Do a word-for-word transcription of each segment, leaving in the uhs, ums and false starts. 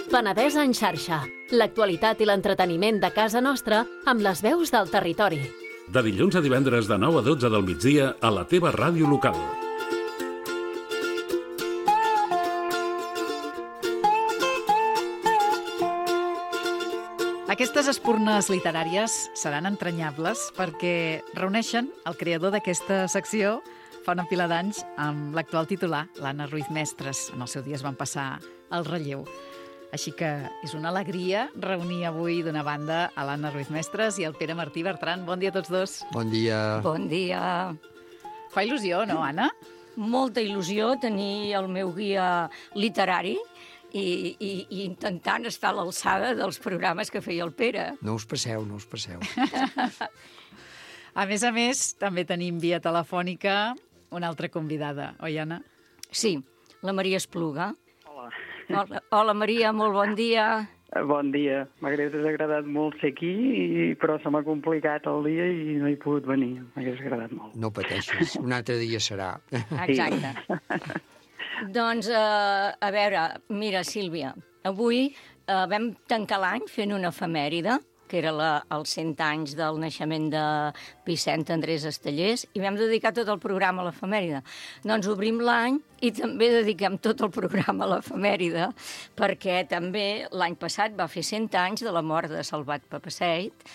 Penedès en xarxa. L'actualitat i l'entreteniment de casa nostra amb les veus del territori. De dilluns a divendres de nou a dotze del migdia a la teva ràdio local. Aquestes espurnes literàries seran entranyables perquè reuneixen el creador d'aquesta secció fa una pila d'anys amb l'actual titular, l'Anna Ruiz Mestres. En el seu dia es van passar el relleu. Així que és una alegria reunir avui d'una banda a l'Anna Ruiz Mestres i el Pere Martí Bertran. Bon dia a tots dos. Bon dia. Bon dia. Fa il·lusió, no, Anna? Molta il·lusió tenir el meu guia literari i, i, i intentant estar a l'alçada dels programes que feia el Pere. No us passeu, no us passeu. A més a més, també tenim via telefònica una altra convidada, oi, Anna? Sí, la Maria Espluga. Hola. Hola, hola Maria, molt bon dia. Bon dia. M'hagués agradat molt ser aquí, i, però se m'ha complicat el dia i no he pogut venir. M'hagués agradat molt. No pateixis, un altre dia serà. Exacte. Doncs, eh, a veure, mira, Sílvia, avui eh, vam tancar l'any fent una efemèride, que era la, els cent anys del naixement de Vicent Andrés Estellés, i vam dedicar tot el programa a l'efemèride. Doncs obrim l'any i també dediquem tot el programa a l'efemèride, perquè també l'any passat va fer cent anys de la mort de Salvat Papasseit,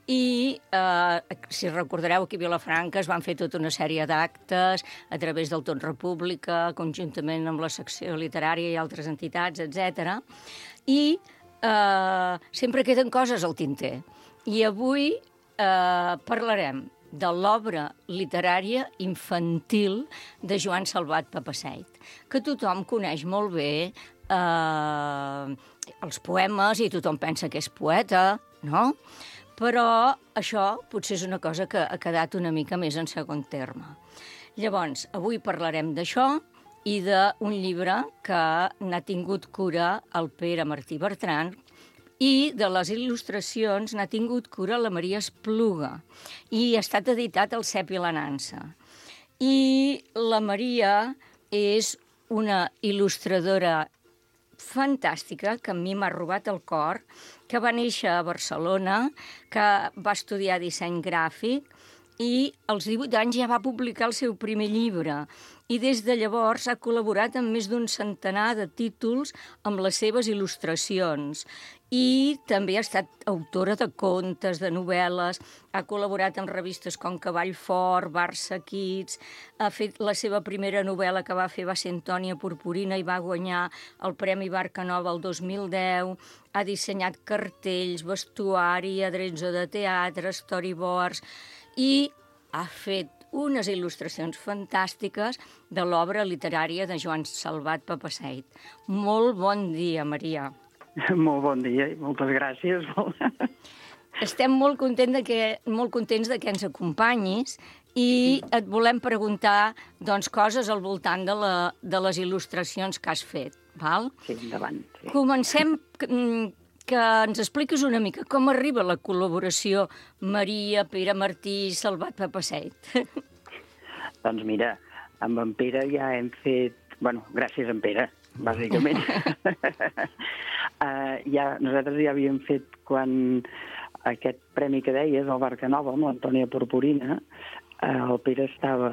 i, eh, si recordareu, aquí a Vilafranca es van fer tota una sèrie d'actes a través del Tot República, conjuntament amb la secció literària i altres entitats, etcètera. I eh, sempre queden coses al tinter. I avui eh, parlarem de l'obra literària infantil de Joan Salvat Papasseit, que tothom coneix molt bé, eh, els poemes, i tothom pensa que és poeta, no? Però això potser és una cosa que ha quedat una mica més en segon terme. Llavors, avui parlarem d'això i d'un llibre que n'ha tingut cura el Pere Martí Bertran, i de les il·lustracions n'ha tingut cura la Maria Espluga, i ha estat editat al Cep i la Nansa. I la Maria és una il·lustradora fantàstica, que a mi m'ha robat el cor, que va néixer a Barcelona, que va estudiar disseny gràfic i als divuit anys ja va publicar el seu primer llibre. I des de llavors ha col·laborat amb més d'un centenar de títols amb les seves il·lustracions. I també ha estat autora de contes, de novel·les, ha col·laborat amb revistes com Cavall Fort, Barça Kids, ha fet la seva primera novel·la que va fer va ser Antònia Purpurina i va guanyar el Premi Barca Nova el dos mil deu, ha dissenyat cartells, vestuari, adreço de teatre, storyboards, i ha fet unes il·lustracions fantàstiques de l'obra literària de Joan Salvat Papasseit. Molt bon dia, Maria. Molt bon dia i moltes gràcies. Estem molt contents de que, molt contents de que ens acompanyis i et volem preguntar doncs, coses al voltant de, la, de les il·lustracions que has fet. Val? Sí, endavant. Sí. Comencem que, que ens expliquis una mica com arriba la col·laboració Maria, Pere Martí, Salvat Papasseit. Doncs mira, amb en Pere ja hem fet... Bueno, gràcies a en Pere, bàsicament. uh, ja, nosaltres ja havíem fet quan aquest premi que deies, el Barca Nova, amb l'Antònia Purpurina, uh, el Pere estava...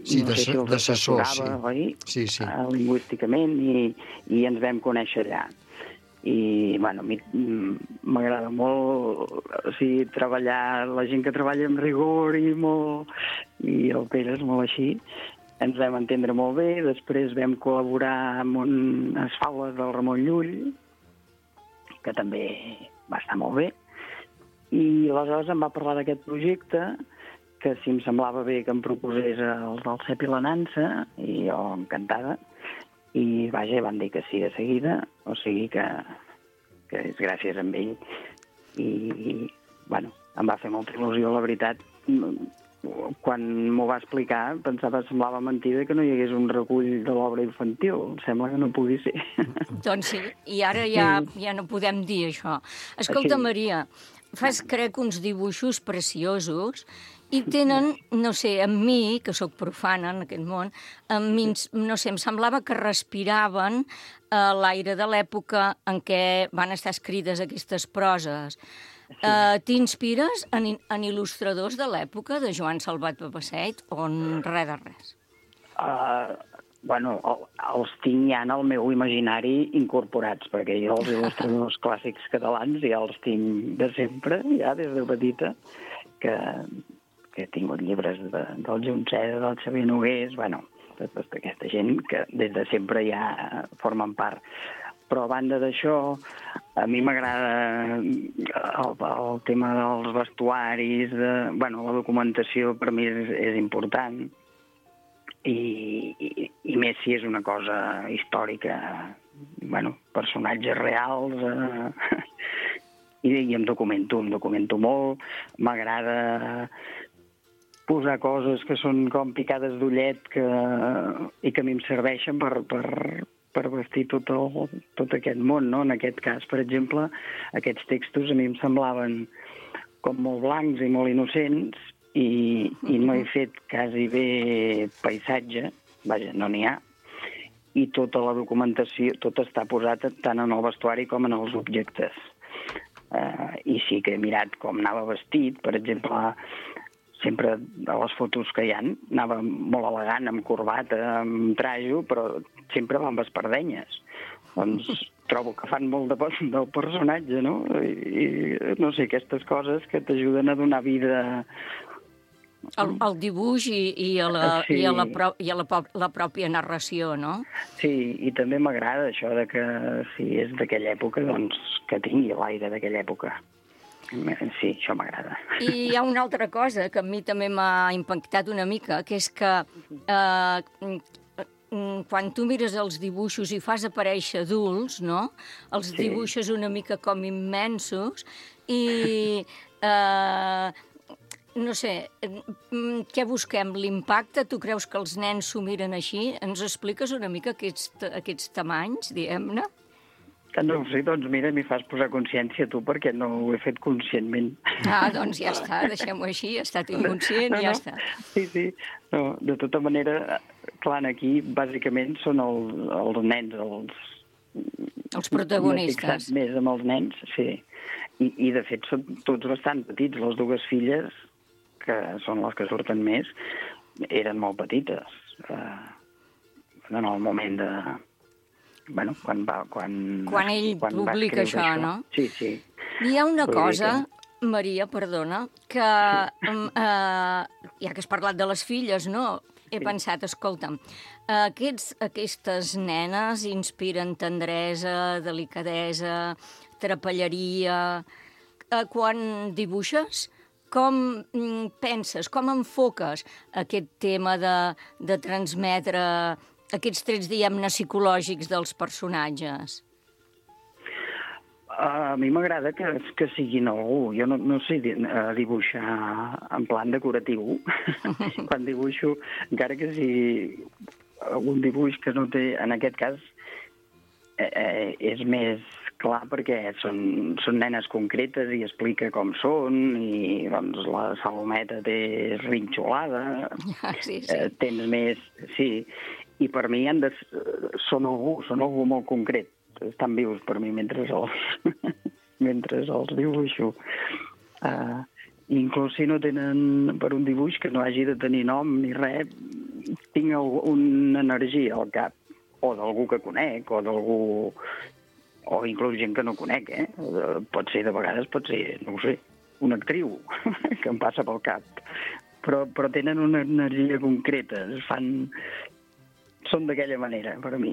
Sí, no sé si d'assessor, sí. Oi? Sí, sí. Uh, lingüísticament, i, i ens vam conèixer allà. I, bueno, a mi m'agrada molt, o sigui, treballar, la gent que treballa amb rigor i molt... I el Pere és molt així. Ens vam entendre molt bé, després vam col·laborar amb unes faules del Ramon Llull, que també va estar molt bé, i aleshores em va parlar d'aquest projecte, que si em semblava bé que em proposés els del Cep i la Nansa, i jo encantada, i vaja, van dir que sí de seguida, o sigui que, que és gràcies a ell. I, i, bueno, em va fer molta il·lusió, la veritat. Quan m'ho va explicar, pensava, semblava mentida que no hi hagués un recull de l'obra infantil. Sembla que no pugui ser. Doncs sí, i ara ja, ja no podem dir això. Escolta, Així. Maria, fas, crec, uns dibuixos preciosos i tenen, no sé, amb mi, que sóc profana en aquest món, amb mi, no sé, em semblava que respiraven uh, l'aire de l'època en què van estar escrites aquestes proses. Sí. Uh, T'inspires en, en il·lustradors de l'època, de Joan Salvat Papasseit, o en res de res? Uh, bueno, el, els tinc ja en el meu imaginari incorporats, perquè jo els il·lustradors clàssics catalans ja els tinc de sempre, ja des de petita, que, que he tingut llibres de, del Junceda, del Xavier Nogués, bueno, tota aquesta gent que des de sempre ja formen part. Però a banda d'això, a mi m'agrada el, el tema dels vestuaris, de, bueno, la documentació per mi és, és important, i, i, i més si és una cosa històrica, bueno, personatges reals, eh, i, i em documento, em documento molt, m'agrada posar coses que són com picades d'ullet que, i que a mi em serveixen per, per, per vestir tot, el, tot aquest món, no? En aquest cas, per exemple, aquests textos a mi em semblaven com molt blancs i molt innocents, i, i no he fet quasi bé paisatge, vaja, no n'hi ha, i tota la documentació, tot està posat tant en el vestuari com en els objectes. Uh, I sí que he mirat com anava vestit, per exemple, sempre a les fotos que hi ha, anava molt elegant, amb corbata, amb trajo, però sempre va amb espardenyes. Doncs trobo que fan molt de del personatge, no? I, i no sé, aquestes coses que t'ajuden a donar vida... El, el dibuix i, i, a, la, sí. i, a, la, pro, i a la, la pròpia narració, no? Sí, i també m'agrada això de que si és d'aquella època, doncs que tingui l'aire d'aquella època. Sí, això m'agrada. I hi ha una altra cosa que a mi també m'ha impactat una mica, que és que eh, quan tu mires els dibuixos i fas aparèixer adults, no? Els sí. dibuixes una mica com immensos i... Eh, no sé, què busquem? L'impacte? Tu creus que els nens s'ho miren així? Ens expliques una mica aquests, aquests tamanys, diguem-ne? No ho sé, doncs mira, m'hi fas posar consciència tu, perquè no ho he fet conscientment. Ah, doncs ja està, deixem-ho així, ha estat inconscient, no, ja no. està. Sí, sí, no, de tota manera, clar, aquí bàsicament són el, els nens, els... Els protagonistes. Més amb els nens, sí. I, i de fet són tots bastant petits, les dues filles, que són les que surten més, eren molt petites. Eh, en el moment de... Bueno, quan va... Quan, quan ell quan publica això, això, no? Sí, sí. Hi ha una cosa, Maria, perdona, que sí. eh, ja que has parlat de les filles, no? He sí. pensat, escolta'm, aquests, aquestes nenes inspiren tendresa, delicadesa, trapelleria... Eh, quan dibuixes, com penses, com enfoques aquest tema de, de transmetre aquests trets, diguem-ne, psicològics dels personatges? A mi m'agrada que, que siguin algú. Jo no, no sé dibuixar en plan decoratiu. Quan dibuixo, encara que sigui algun dibuix que no té, en aquest cas, eh, és més clar perquè són, són nenes concretes i explica com són, i doncs la Salometa té rinxolada, sí, sí. Eh, tens més... Sí, i per mi han de, són algú, són algú molt concret. Estan vius per mi mentre els, mentre els dibuixo. Uh, inclús si no tenen per un dibuix que no hagi de tenir nom ni res, tinc una energia al cap, o d'algú que conec, o d'algú... o inclús gent que no conec, eh? Pot ser, de vegades, pot ser, no ho sé, una actriu que em passa pel cap. Però, però tenen una energia concreta, es fan... Són d'aquella manera, per a mi.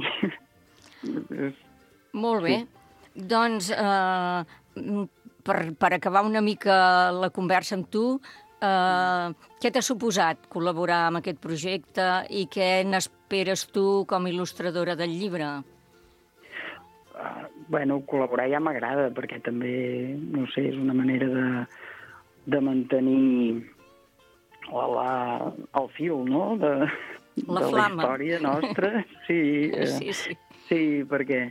Molt bé. Sí. Doncs, eh, per, per acabar una mica la conversa amb tu, eh, què t'ha suposat col·laborar amb aquest projecte i què n'esperes tu com a il·lustradora del llibre? Uh, bueno, col·laborar ja m'agrada, perquè també, no sé, és una manera de, de mantenir la, la, el fil, no?, de, la de la història nostra. Sí, uh, sí, sí. Sí, perquè,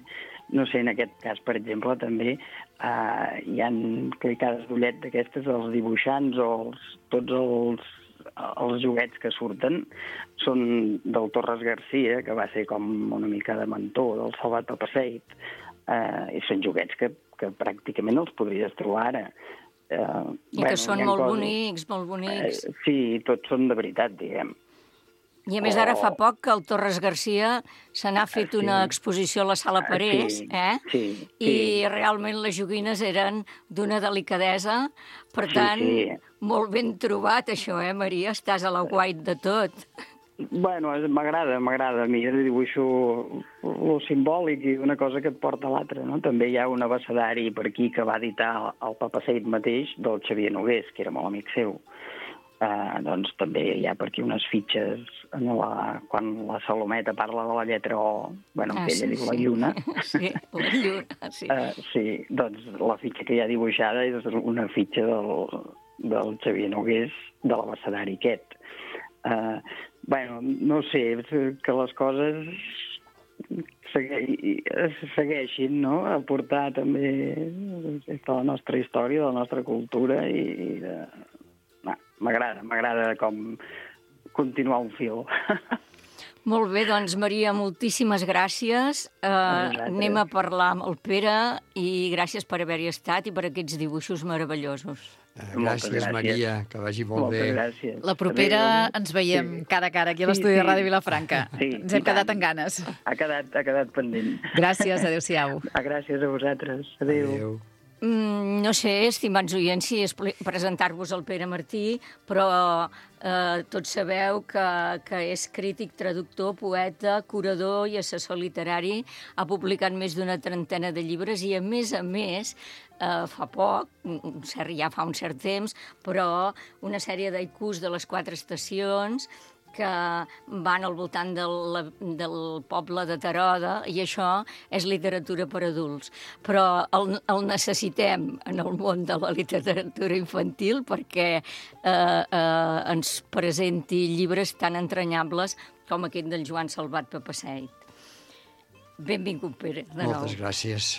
no sé, en aquest cas, per exemple, també Uh, hi ha clicades d'ullet d'aquestes, els dibuixants o els, tots els, els joguets que surten són del Torres Garcia, que va ser com una mica de mentor del Salvat Papasseit, uh, i són joguets que, que pràcticament els podries trobar ara. Uh, I bueno, que són molt coses, bonics, molt bonics. Uh, sí, tots són de veritat, diguem. I a més ara fa poc que el Torres Garcia se n'ha fet sí. una exposició a la Sala Parés, sí, eh? Sí, sí. I realment les joguines eren d'una delicadesa, per sí, tant, sí. molt ben trobat això, eh, Maria? Estàs a la guait de tot. Bueno, m'agrada, m'agrada. A mi dibuixo lo simbòlic i una cosa que et porta a l'altra, no? També hi ha un abecedari per aquí que va editar el Papasseit mateix, del Xavier Nogués, que era molt amic seu. Uh, doncs també hi ha per aquí unes fitxes en la, quan la Salometa parla de la lletra O, bueno, ah, que ella sí, diu la lluna. Sí, la lluna, sí. Uh, sí, doncs la fitxa que hi ha dibuixada és una fitxa del, del Xavier Nogués de l'abecedari aquest. Uh, bueno, no sé, que les coses segui, segueixin, no?, a portar també de la nostra història, de la nostra cultura i, i de... M'agrada, m'agrada com continuar un fil. Molt bé, doncs, Maria, moltíssimes gràcies. Uh, anem a parlar amb el Pere i gràcies per haver-hi estat i per aquests dibuixos meravellosos. Uh, gràcies, gràcies, Maria, que vagi molt Moltes bé. Gràcies. La propera Adéu. Ens veiem sí. cara a cara aquí a l'estudi sí, sí. de Ràdio Vilafranca. Sí, Ens hem quedat amb ganes. Ha quedat, ha quedat pendent. Gràcies, adéu-siau. Gràcies a vosaltres. Adéu. Adéu. Mm, no sé, estimats oients, si és presentar-vos el Pere Martí, però eh, tots sabeu que, que és crític, traductor, poeta, curador i assessor literari. Ha publicat més d'una trentena de llibres i, a més a més, eh, fa poc, ja fa un cert temps, però una sèrie d'haikus de les quatre estacions que van al voltant del, del poble de Teroda, i això és literatura per adults. Però el, el necessitem en el món de la literatura infantil perquè eh, eh, ens presenti llibres tan entranyables com aquest del Joan Salvat Papasseit. Benvingut, Pere, de nou. Moltes gràcies.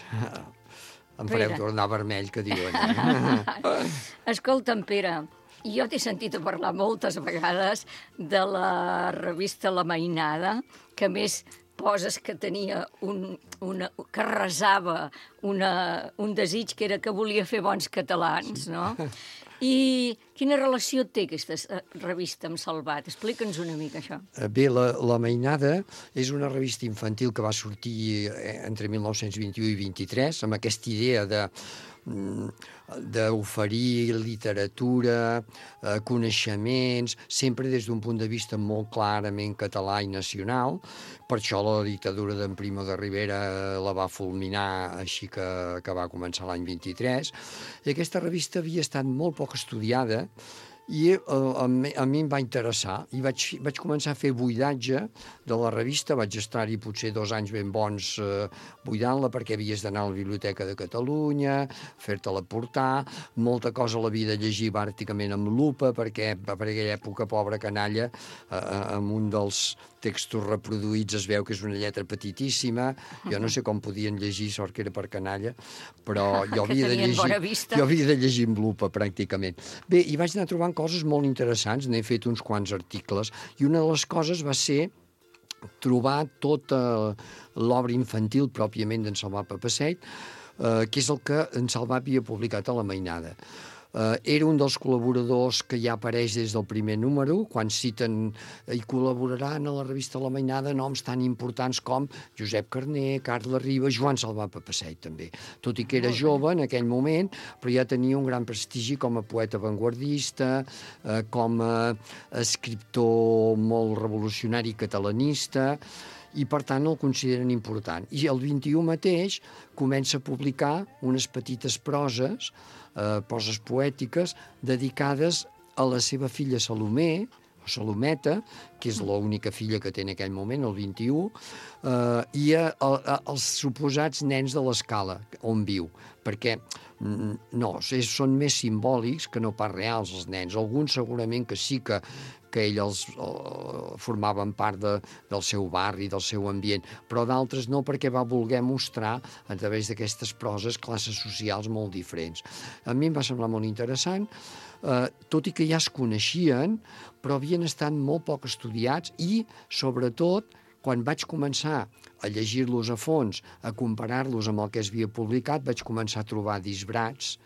Em fareu Pere. Tornar vermell, que diuen. Eh? Escolta'm, Pere, jo t'he sentit a parlar moltes vegades de la revista La Mainada, que a més poses que tenia un, una, que resava una, un desig que era que volia fer bons catalans, no? I quina relació té aquesta revista amb Salvat? Explica'ns una mica això. Bé, la, la Mainada és una revista infantil que va sortir entre mil nou-cents vint-i-u i vint-i-tres, amb aquesta idea de d'oferir literatura, eh, coneixements, sempre des d'un punt de vista molt clarament català i nacional. Per això la dictadura d'en Primo de Rivera la va fulminar, així que, que va començar l'any vint-i-tres. I aquesta revista havia estat molt poc estudiada i uh, a, mi, a mi em va interessar i vaig, vaig començar a fer buidatge de la revista. Vaig estar-hi potser dos anys ben bons uh, buidant-la, perquè havies d'anar a la Biblioteca de Catalunya, fer-te-la portar, molta cosa l'havia de llegir pràcticament amb lupa, perquè per aquella època, pobra canalla, uh, amb un dels textos reproduïts es veu que és una lletra petitíssima. Jo no sé com podien llegir, sort que era per canalla, però jo havia de llegir, jo havia de llegir amb lupa, pràcticament. Bé, i vaig anar trobant coses molt interessants, n'he fet uns quants articles, i una de les coses va ser trobar tota l'obra infantil pròpiament d'en Salvat Papasseit, eh, que és el que en Salvat havia publicat a La Mainada. Uh, era un dels col·laboradors que ja apareix des del primer número, quan citen i col·laboraran a la revista La Mainada noms tan importants com Josep Carner, Carles Riba, Joan Salvat Papasseit també. Tot i que era jove en aquell moment, però ja tenia un gran prestigi com a poeta avantguardista, uh, com a escriptor molt revolucionari catalanista, i per tant el consideren important. I el vint-i-u mateix comença a publicar unes petites proses, eh, proses poètiques, dedicades a la seva filla Salomé, Salometa, que és l'única filla que té en aquell moment, el vint-i-u, eh, i a, a, a, els suposats nens de l'Escala, on viu, perquè no, són més simbòlics que no pas reals, els nens. Alguns segurament que sí que, que ells uh, formaven part de, del seu barri, del seu ambient, però d'altres no, perquè va voler mostrar a través d'aquestes proses classes socials molt diferents. A mi em va semblar molt interessant, uh, tot i que ja es coneixien, però havien estat molt poc estudiats i, sobretot, quan vaig començar a llegir-los a fons, a comparar-los amb el que es havia publicat, vaig començar a trobar disbrats,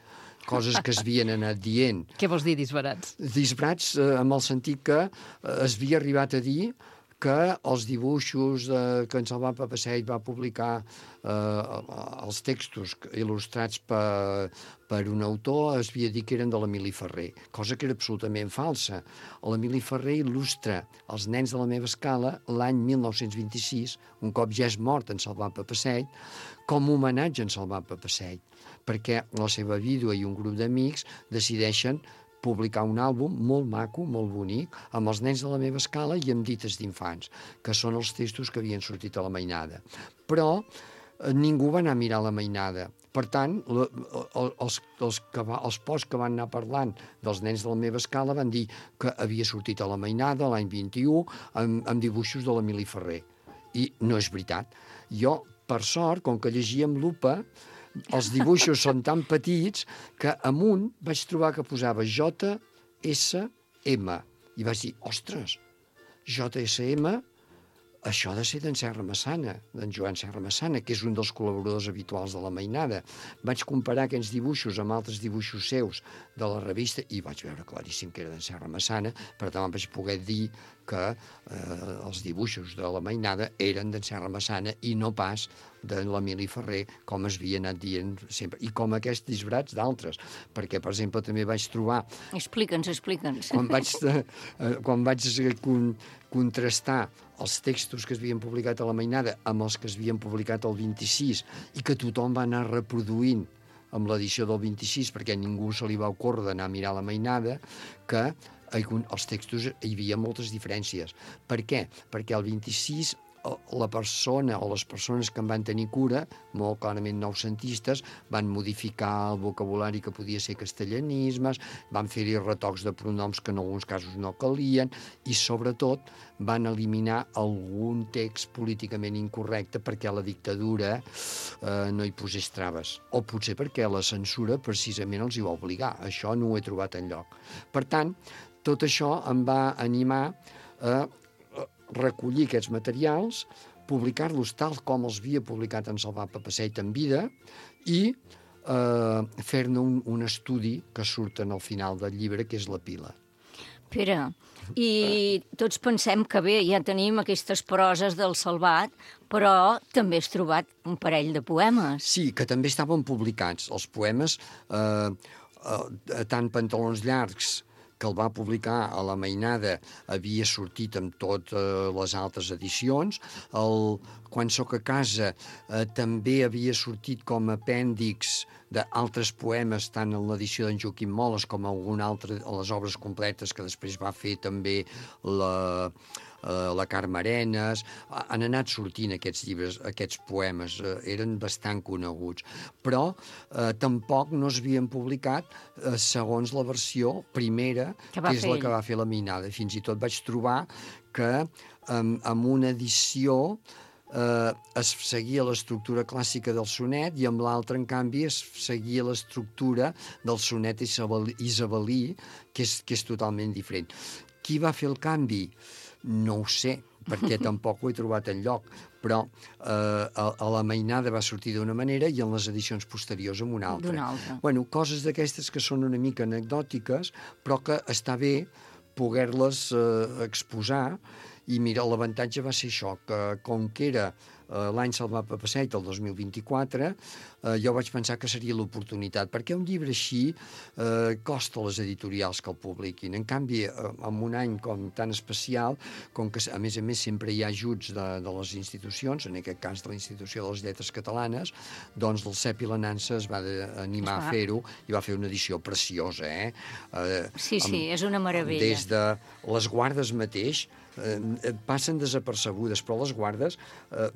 coses que es havien anat dient. Què vols dir, disbarats? Disbarats eh, amb el sentit que eh, es havia arribat a dir que els dibuixos de, que en Salvat Papasseit va publicar, eh, els textos il·lustrats per, per un autor, es havia dit que eren de l'Emili Ferrer, cosa que era absolutament falsa. L'Emili Ferrer il·lustra Els nens de la meva escala l'any mil nou-cents vint-i-sis, un cop ja és mort en Salvat Papasseit, com a homenatge en Salvat Papasseit, perquè la seva vídua i un grup d'amics decideixen publicar un àlbum molt maco, molt bonic, amb els nens de la meva escala i amb dites d'infants, que són els textos que havien sortit a la mainada. Però eh, ningú va anar a mirar la mainada. Per tant, la, els, els, que va, els posts que van anar parlant dels nens de la meva escala van dir que havia sortit a la mainada l'any vint-i-u amb, amb dibuixos de l'Emili Ferrer. I no és veritat. Jo, per sort, com que llegia amb lupa, els dibuixos són tan petits que amunt vaig trobar que posava J S M. I vaig dir, ostres, J S M, això ha de ser d'en Serra Massana, d'en Joan Serra Massana, que és un dels col·laboradors habituals de la mainada. Vaig comparar aquests dibuixos amb altres dibuixos seus de la revista i vaig veure claríssim que era d'en Serra Massana, per tant vaig poder dir que eh, els dibuixos de la mainada eren d'en Serra Massana i no pas de l'Emili Ferrer, com es havia anat dient sempre. I com aquests disbrats d'altres, perquè, per exemple, també vaig trobar... Explica'ns, explica'ns. Quan vaig, eh, quan vaig con, contrastar els textos que es havien publicat a la mainada amb els que es havien publicat al vint-i-sis i que tothom va anar reproduint amb l'edició del vint-i-sis, perquè ningú se li va ocórrer d'anar a mirar la mainada, que els textos hi havia moltes diferències. Per què? Perquè al vint-i-sis la persona o les persones que en van tenir cura, molt clarament noucentistes, van modificar el vocabulari que podia ser castellanismes, van fer-hi retocs de pronoms que en alguns casos no calien i, sobretot, van eliminar algun text políticament incorrecte perquè la dictadura eh, no hi posés traves. O potser perquè la censura precisament els hi va obligar. Això no ho he trobat enlloc. Per tant, tot això em va animar a recollir aquests materials, publicar-los tal com els havia publicat en Salvat Papasseit en vida i eh, fer-ne un, un estudi que surt al final del llibre, que és la pila. Pere, i tots pensem que bé, ja tenim aquestes proses del Salvat, però també has trobat un parell de poemes. Sí, que també estaven publicats. Els poemes, eh, eh, tant Pantalons llargs, que el va publicar a la mainada, havia sortit amb totes les altres edicions. El Quan soc a casa eh, també havia sortit com a apèndix d'altres poemes, tant en l'edició d'en Joaquim Moles com algun altre, a les obres completes que després va fer també la... la Carme Arenas. Han anat sortint aquests llibres, aquests poemes, eh, eren bastant coneguts, però eh, tampoc no s'havien publicat eh, segons la versió primera, que, que és la que va fer la mainada. Fins i tot vaig trobar que eh, amb una edició eh, es seguia l'estructura clàssica del sonet i amb l'altra, en canvi, es seguia l'estructura del sonet isabelí, que és, que és totalment diferent. Qui va fer el canvi? No ho sé, perquè tampoc ho he trobat enlloc, però eh, a, a la mainada va sortir d'una manera i en les edicions posteriors amb una altra. D'una altra. Bueno, coses d'aquestes que són una mica anecdòtiques, però que està bé poder-les eh, exposar. I mira, l'avantatge va ser això, que com que era eh, l'any se'l va passar el dos mil vint-i-quatre, eh, jo vaig pensar que seria l'oportunitat, perquè un llibre així eh, costa a les editorials que el publiquin. En canvi, eh, en un any com tan especial, com que a més a més sempre hi ha ajuts de, de les institucions, en aquest cas de la Institució de les Lletres Catalanes, doncs el Cep i la Nansa es va animar a fer-ho i va fer una edició preciosa, eh? eh sí, sí, amb, és una meravella. Des de les guardes mateix, eh, passen desapercebudes, però les guardes, eh,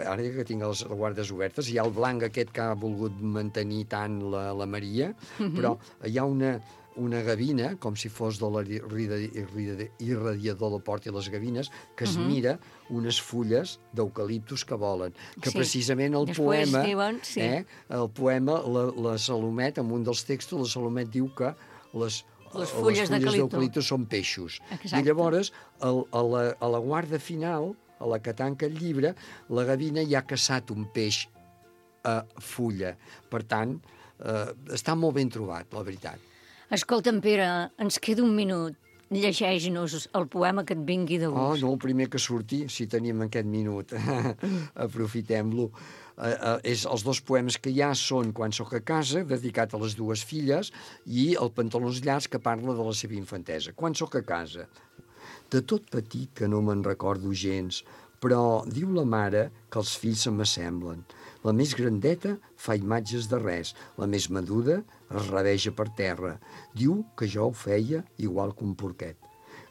ara que tinc les guardes obertes, hi ha el blanc aquest que ha volgut mantenir tant la, la Maria, uh-huh. però hi ha una, una gavina, com si fos de l'irradiador del Port i les Gavines, que es uh-huh. mira unes fulles d'eucaliptus que volen, que sí. precisament el Després poema, diuen, sí. eh, el poema, la, la Salomet, en un dels textos, la Salomet diu que les Les fulles, les fulles d'eucaliptus són peixos. Exacte. I llavors, el, a, la, a la guarda final, a la que tanca el llibre, la gavina ja ha caçat un peix a fulla. Per tant, eh, està molt ben trobat, la veritat. Escolta'm, Pere, ens queda un minut. Llegeix-nos el poema que et vingui de Oh, gust. no, el primer que surti, si tenim aquest minut. Aprofitem-lo. Uh, uh, és, els dos poemes que hi ha són Quan soc a casa, dedicat a les dues filles, i El pantalons llargs, que parla de la seva infantesa. Quan soc a casa. De tot petit que no me'n recordo gens, però diu la mare que els fills se m'assemblen. La més grandeta fa imatges de res, la més menuda es rabeja per terra. Diu que jo ho feia igual que un porquet.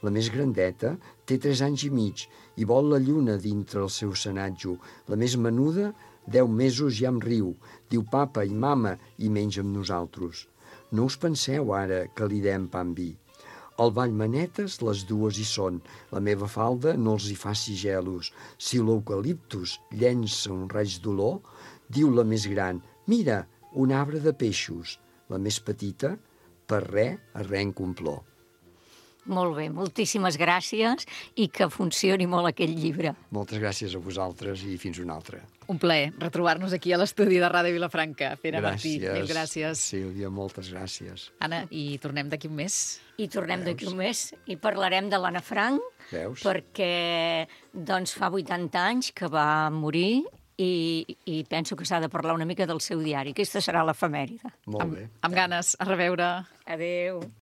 La més grandeta té tres anys i mig i vol la lluna dintre el seu senatjo. La més menuda, deu mesos ja em riu. Diu papa i mama i menja amb nosaltres. No us penseu ara que li dem pa amb vi. Al Vallmanetes les dues hi són. La meva falda no els hi faci gelos. Si l'eucaliptus llença un raig d'olor, diu la més gran, mira, un arbre de peixos. La més petita, per res arrenca un plor. Molt bé, moltíssimes gràcies i que funcioni molt aquest llibre. Moltes gràcies a vosaltres i fins una altra. Un plaer retrobar-nos aquí a l'estudi de Ràdio Vilafranca. Pere Martí, mil gràcies. Sílvia, moltes gràcies. Anna, i tornem d'aquí un mes? I tornem d'aquí un mes i parlarem de l'Anna Frank, Veus? perquè doncs, fa vuitanta anys que va morir i, i penso que s'ha de parlar una mica del seu diari. Aquesta serà l'efemèride. Molt bé. Amb, amb ganes. A reveure. Adéu.